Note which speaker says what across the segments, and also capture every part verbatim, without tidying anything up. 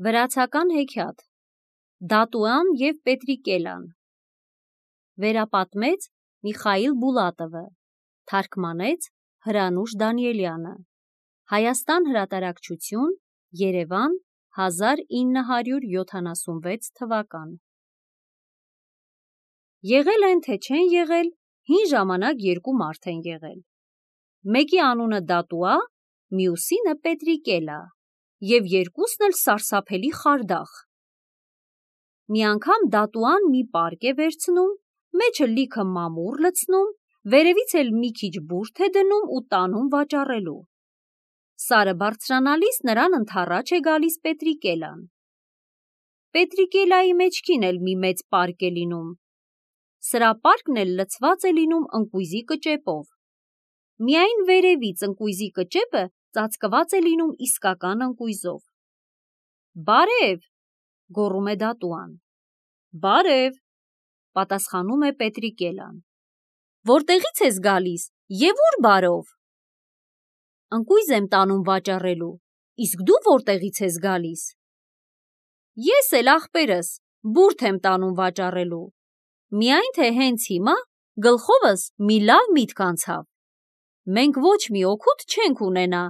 Speaker 1: Վրացական հեքիաթ Դատուան և Պետրիկելան Վերապատմեց Միխայիլ Բուլատովը, թարգմանեց Հրանուշ Դանիելյանը, Հայաստան հրատարակչություն, Երևան, հազար ինը հարյուր յոթանասունվեց թվական։ Եղել են, թե չեն եղել, հին ժամանակ երկու մարդ են եղել։ Մեկի անունը Դատուա, մյուսինը Պետրիկելա, և երկուսն էլ սարսափելի խարդախ։ Մի անգամ Դատուան մի պարկ է վերցնում, մեջը լիքը մամուռ լցնում, վերևից էլ մի քիչ բուրդ է դնում ու տանում վաճառելու։ Սարը բարձրանալիս նրան ընդառաջ է գալիս Պետրիկելան։ Պետրիկելայի մեջքին էլ մի մեծ պարկ է լինում։ Սրա պարկն էլ լցված է լինում ընկույզի կճեպով։ Միայն վերևից ընկույզի կճեպը ծածկված է լինում իսկական ընկույզով։ «Բարև», գոռում է Դատուան։ «Բարև», պատասխանում է Պետրիկելան։ «Որտեղից ես գալիս և ուր բարով»։ «Ընկույզ եմ տանում վաճառելու, իսկ դու որտեղից ես գալիս»։ «Ես էլ, ախպերս, բուրդ եմ տանում վաճառելու, միայն թե հենց հիմա գլխովս մի լավ միտք անցավ։ Մենք ոչ մի օգուտ չենք ունենա,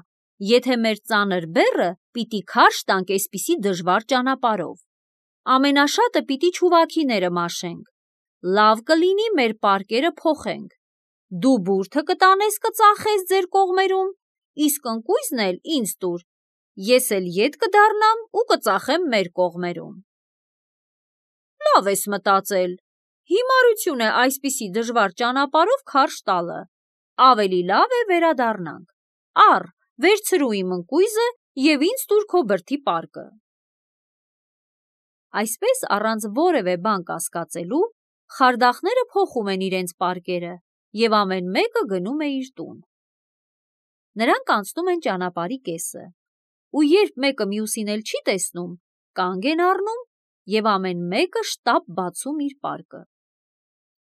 Speaker 1: եթե մեր ծանր բեռը պիտի քարշ տանք էսպիսի դժվար ճանապարհով։ Ամենաշատը պիտի չուվաքիները մաշենք, լավ կլինի մեր պարկերը փոխենք, դու բուրդը կտանես կծախես ձեր կողմերում, իսկ ընկույզն էլ ինձ տուր, ես էլ ետ կդառնամ ու կծախեմ մեր կողմերում»։ «Լավ ես մտածել, հիմարություն է այսպիսի դժվար ճանապարհով քարշ տալը, ավելի լավ է վերադառնանք, առ, վերցրու իմ ընկույզը և ինձ տուր քո բրդի պարկը»։ Այսպես առանց որևէ բան կասկածելու, խարդախները փոխում են իրենց պարկերը և ամեն մեկը գնում է իր տուն։ Նրանք անցնում են ճանապարհի կեսը, ու երբ մեկը մյուսին էլ չի տեսնում, կանգ են առնում և ամեն մեկը շտապ բացում իր պարկը։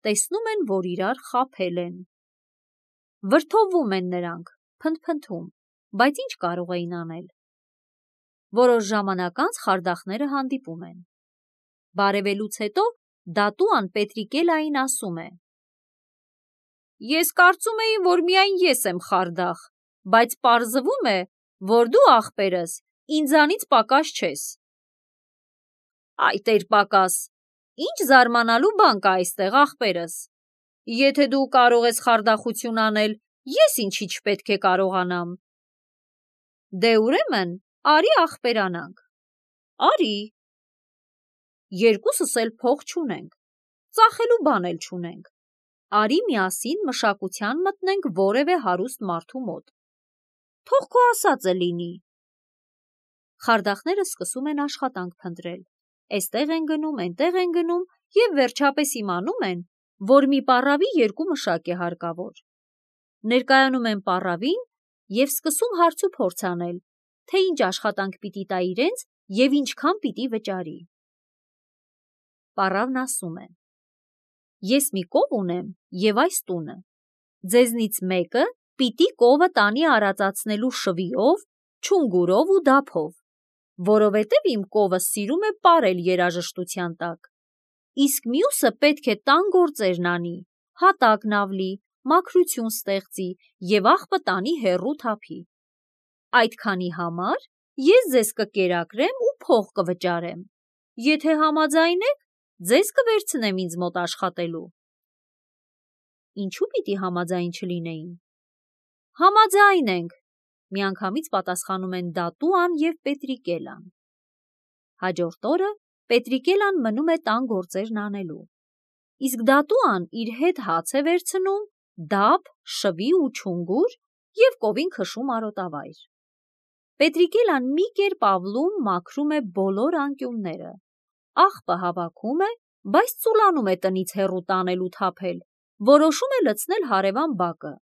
Speaker 1: Տեսնում են, որ իրար խաբել են։ Վրդովվում են նրանք, փնթփնթում, բայց ինչ կարող էին անել։ Որոշ ժամանակ անց խարդախները հանդիպում են։ Բարևելուց հետո Դատուան Պետրիկելային ասում է. «Ես կարծում էի, որ միայն ես եմ խարդախ, բայց պարզվում է, որ դու, ախպերս, ինձանից պակաս չես»։ «Այ տեր պակաս, ինչ զարմանալու բան կա այստեղ, ախպերս, եթե դու կարող ես խարդախություն անել, ես ինչի չպետք է կարողանամ»։ «Դե ուրեմն արի ախպերանանք»։ «Արի»։ «Երկուսս էլ փող չունենք, ծախելու բան էլ չունենք, արի միասին մշակության մտնենք որևէ հարուստ մարդու մոտ, թող քո ասածը լինի»։ Խարդախները սկսում են աշխատանք փնտրել, էստեղ են գնում, էնտեղ են գնում և վերջապես իմանում են, որ մի պառավի երկու մշակ է հարկավոր։ Ներկայանում են պառավին և սկսում հարցուփորձ անել, թե ինչ աշխատանք պիտի տա իրենց և ինչքան պիտի վճարի։ Պառավն ասում է. «Ես մի կով ունեմ և այս տունը, ձեզնից մեկը պիտի կովը տանի արածացնելու շվիով, չունգուրով ու դափով, որովհետև իմ կովը սիրում է պարել երաժշտության տակ, իսկ մյուսը պետք է տան գործերն անի, հատակն ավլի, մաքրություն ստեղծի և աղբը տանի հեռու թափի։ Այդքանի համար ես ձեզ կկերակրեմ ու փող կվճարեմ, եթե համաձայն եք, ձեզ կվերցնեմ ինձ մոտ աշխատելու»։ «Ինչու պիտի համաձայն չլինեին»։ «Համաձայն ենք», միանգամից պատասխանում են Դատուան և Պետրիկելան։ Հաջորդ օրը Պետրիկելան մնում է տան գործերն անելու, իսկ Դատուան իր հետ հաց է վերցնում, դափ, շվի ու չունգուր և կովին քշում արոտավայր։ Պետրիկելան մի կերպ ավլում, մաքրում է բոլոր անկյունները, աղբը հավաքում է, բայց ծուլանում է տնից հեռու տանել ու թափել, որոշում է լցնել հարևան բակը։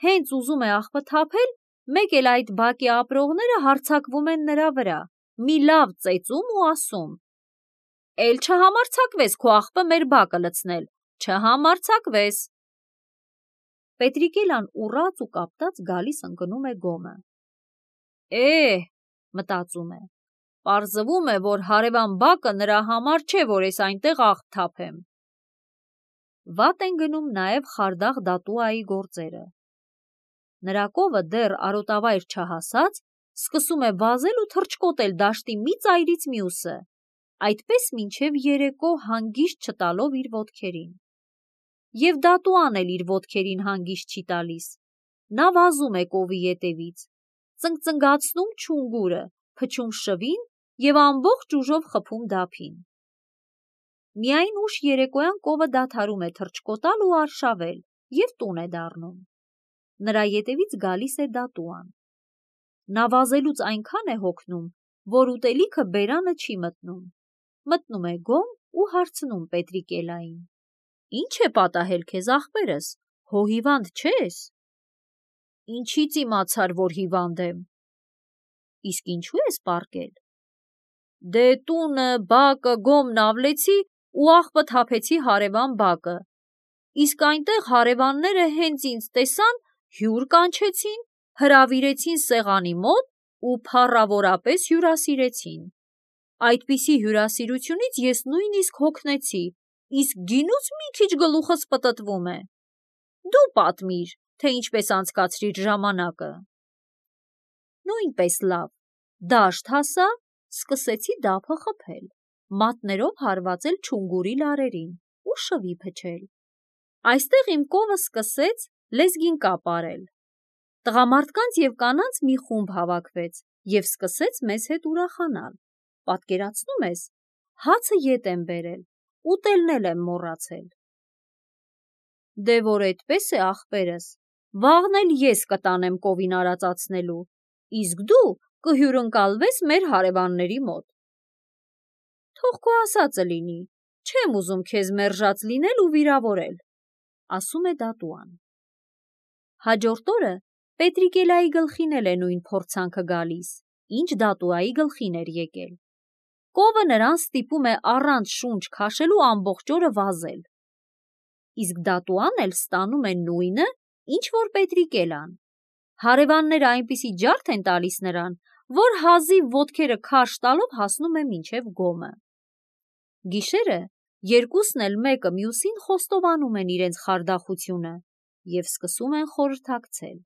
Speaker 1: Հենց ուզում է աղբը թափել, մեկ էլ այդ բակի ապրողները հարձակվում են նրա վրա, մի լավ ծեծում ու ասում. «Էլ չհամարձակվես քո աղբը մեր բակը լցնել, չհամարձակվես»։ Պետրիկելան ուռած ու կապտած գալիս ընկնում է գոմը։ «Է՜, մտածում է, պարզվում է, որ հարևան բակը նրա համար չէ, որ ես այնտեղ աղ թափեմ։ Վատ են գնում նաև Խարդախ Դատուայի գործերը։ Նրա կովը դեռ արոտավայր չհասած, սկսում է վազել ու թռչկոտել դաշտի մի ծայրից մյուսը, այդպես մինչև երեկո հանգիստ չտալով իր ոտքերին։ Եվ Դատուան էլ իր ոտքերին հանգիստ չի տալիս։ Նա վազում է կովի ետևից, ծնկծնգացնում չունգուրը, փչում շվին և ամբողջ ուժով խփում դափին։ Միայն ուշ երեկոյան կովը դադարում է թռչկոտալ ու արշավել և տուն է դառնում։ Նրա ետևից գալիս է Դատուան։ Նա վազելուց այնքան է հոգնում, որ ուտելիքը բերանը չի մտնում։ Մտնում է գոմ ու հարցնում Պետրիկելային. «Ինչ է պատահել քեզ, ախպերս, հո հիվանդ չես»։ «Ինչից իմացար, որ հիվանդ եմ»։ «Իսկ ինչու ես պառկել»։ «Դե տունը, բակը, գոմն ավլեցի ու աղբը թափեցի հարևան բակը, իսկ այնտեղ հարևանները հենց ինձ տեսան, հյուր կանչեցին, հրավիրեցին սեղանի մոտ ու փառավորապես հյուրասիրեցին։ Այդպիսի հյուրասիրությունից ես նույնիսկ հոգնեցի, իսկ գինուց մի քիչ գլուխս պտտվում է։ Դու պատմիր, թե ինչպես անցկացրիր ժամանակը»։ Նույնպես լավ, դաշտ հասա, սկսեցի դափը խփել, մատներով հարվածել չունգուրի լարերին ու շվի փչել։ Այստեղ իմ կովը սկսեց լեզգին կապ արել։ Տղամարդկանց և կանանց մի խումբ հավաքվեց և սկսեց մեզ հետ ուրախանալ։ Պատկերացնում ես, հացը ետ եմ բերել, ուտելն էլ եմ մոռացել։ Դե որ էդպես է, ախպերս, վաղն էլ ես կտանեմ կովին արածացնելու, իսկ դու կհյուրընկալվես մեր հարևանների մոտ։ Թող քո ասածը լինի, չեմ ուզում քեզ մերժած լինել ու վիրավորել, ասում է Դատուան։ Հաջորդ օրը Պետրիկելայի գլխին էլ է նույն փորձանքը գալիս, ինչ Դատուայի գլխին էր եկել։ Կովը նրան ստիպում է առանց շունչ քաշելու ամբողջ օրը վազել։ Իսկ Դատուան էլ ստանում է նույնը, ինչ որ Պետրիկելան։ Հարևանները այնպիսի ջարդ են տալիս նրան, որ հազիվ ոտքերը քարշ տալով հասնում է մինչև գոմը։ Գիշերը երկուսն էլ մեկը մյուսին խոստովանում են իրենց խարդախությունը և սկսում են խորհրդակցել։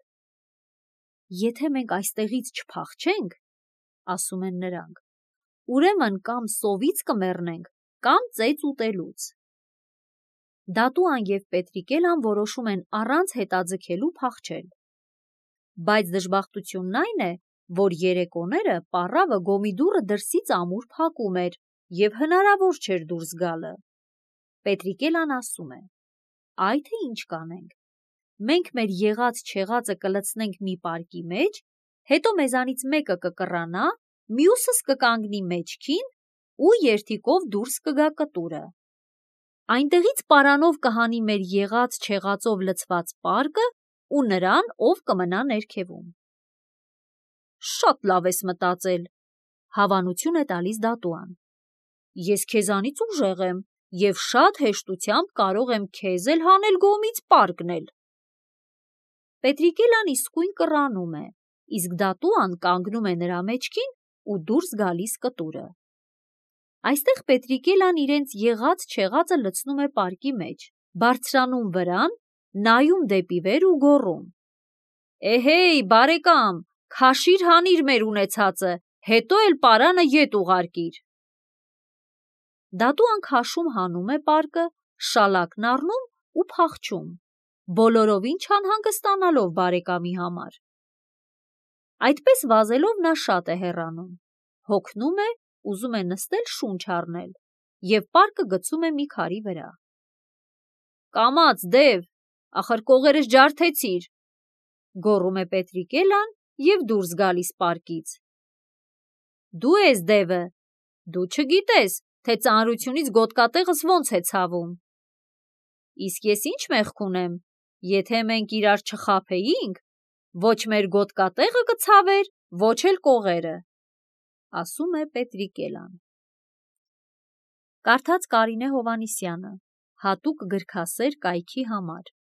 Speaker 1: «Եթե մենք այստեղից չփախչենք, ասում են նրանք, ուրեմն կամ սովից կմեռնենք, կամ ծեծ ուտելուց»։ Դատուան և Պետրիկելան որոշում են առանց հետաձգելու փախչել։ Բայց դժբախտությունն այն է, որ երեկոները պառավը գոմի դուռը դրսից ամուր փակում էր և հնարավոր չէր դուրս գալը։ Պետրիկելան ասում է. «Այ թե ինչ կանենք, մենք մեր եղած-չեղածը կլցնենք մի պարկի մեջ, հետո մեզանից մեկը կկռանա, մյուսս կկանգնի մեջքին ու երդիկով դուրս կգա կտուրը։ Այնտեղից պարանով կհանի մեր եղած-չեղածով լցված պարկը ու նրան, ով կմնա ներքևում»։ «Շատ լավ ես մտածել», հավանություն է տալիս Դատուան։ «Ես քեզանից ուժեղ եմ և շատ հեշտությամբ կարող եմ քեզ էլ հանել գոմից, պարկն էլ»։ Պետրիկելան իսկույն կռանում է, իսկ Դատուան կանգնում է նրա մեջքին ու դուրս գալիս կտուրը։ Այստեղ Պետրիկելան իրենց եղած-չեղածը լցնում է պարկի մեջ, բարձրանում վրան, նայում դեպի վեր ու գոռում. «Էհեյ, բարեկամ, քաշիր հանիր մեր ունեցածը, հետո էլ պարանը ետ ուղարկիր»։ Դատուան քաշում հանում է պարկը, շալակն առնում ու փախչում, բոլորովին չանհանգստանալով բարեկամի համար։ Այդպես վազելով նա շատ է հեռանում, հոգնում է, ուզում է նստել շունչ առնել և պարկը գցում է մի քարի վրա։ «Կամաց, դև, ախր կողերս ջարդեցիր», գոռում է Պետրիկելան և դուրս գալիս պարկից։ «Դու ես դևը, դու չգիտես, թե ծանրությունից գոտկատեղս ոնց է ցավում»։ «Իսկ ես ինչ մեղք ունեմ, եթե մենք իրար չխաբեինք, ոչ մեր գոտկատեղը կցավեր, ոչ էլ կողերը», ասում է Պետրիկելան։ Կարդաց Կարինե Հովհաննիսյանը, հատուկ գրքասեր կայքի համար։